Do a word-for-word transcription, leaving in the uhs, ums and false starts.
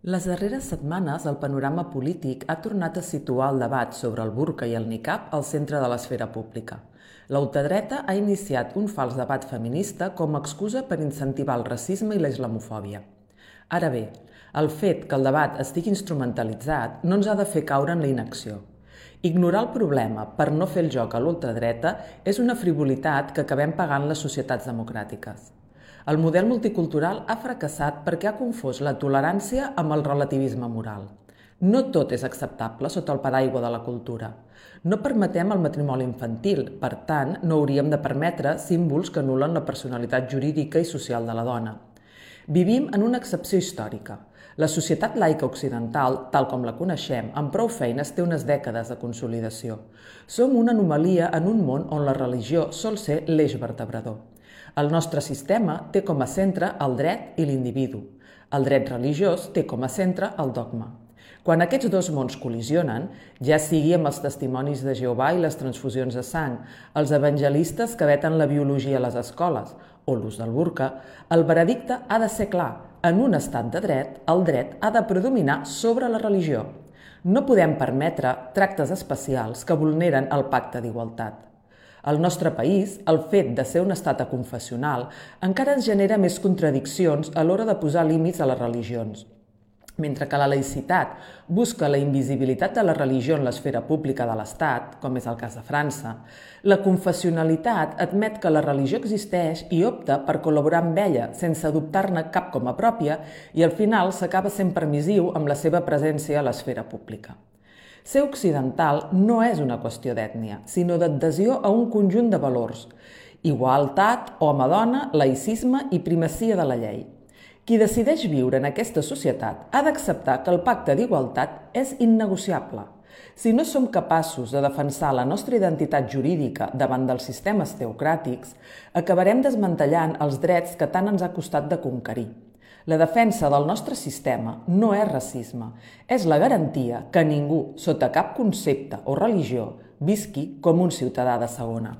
Les darreres setmanes, el panorama polític ha tornat a situar el debat sobre el burca i el niqab al centre de l'esfera pública. La ultradreta ha iniciat un fals debat feminista com a excusa per incentivar el racisme i la islamofòbia. Ara bé, el fet que el debat estigui instrumentalitzat no ens ha de fer caure en la inacció. Ignorar el problema per no fer el joc a l'ultradreta és una frivolitat que acabem pagant les societats democràtiques. El model multicultural ha fracassat perquè ha confós la tolerància amb el relativisme moral. No tot és acceptable sota el paraigua de la cultura. No permetem el matrimoni infantil, per tant, no hauríem de permetre símbols que anulen la personalitat jurídica i social de la dona. Vivim en una excepció històrica. La societat laica occidental, tal com la coneixem, amb prou feines té unes dècades de consolidació. Som una anomalia en un món on la religió sol ser l'eix vertebrador. El nostre sistema té com a centre el dret i l'individu. El dret religiós té com a centre el dogma. Quan aquests dos mons col·lisionen, ja sigui amb els testimonis de Jehovà i les transfusions de sang, els evangelistes que veten la biologia a les escoles o l'ús del burca, el veredicte ha de ser clar. En un estat de dret, el dret ha de predominar sobre la religió. No podem permetre tractes especials que vulneren el pacte d'igualtat. Al nostre país, el fet de ser un estat aconfessional encara ens genera més contradiccions a l'hora de posar límits a les religions. Mentre que la laïcitat busca la invisibilitat de la religió en l'esfera pública de l'Estat, com és el cas de França, la confessionalitat admet que la religió existeix i opta per col·laborar amb ella sense adoptar-ne cap com a pròpia i al final s'acaba sent permissiu amb la seva presència a l'esfera pública. Ser occidental no és una qüestió d'ètnia, sinó d'adhesió a un conjunt de valors: igualtat, home-dona, laïcisme i primacia de la llei. Qui decideix viure en aquesta societat ha d'acceptar que el pacte d'igualtat és innegociable. Si no som capaços de defensar la nostra identitat jurídica davant dels sistemes teocràtics, acabarem desmantellant els drets que tant ens ha costat de conquerir. La defensa del nostre sistema no és racisme, és la garantia que ningú, sota cap concepte o religió, visqui com un ciutadà de segona.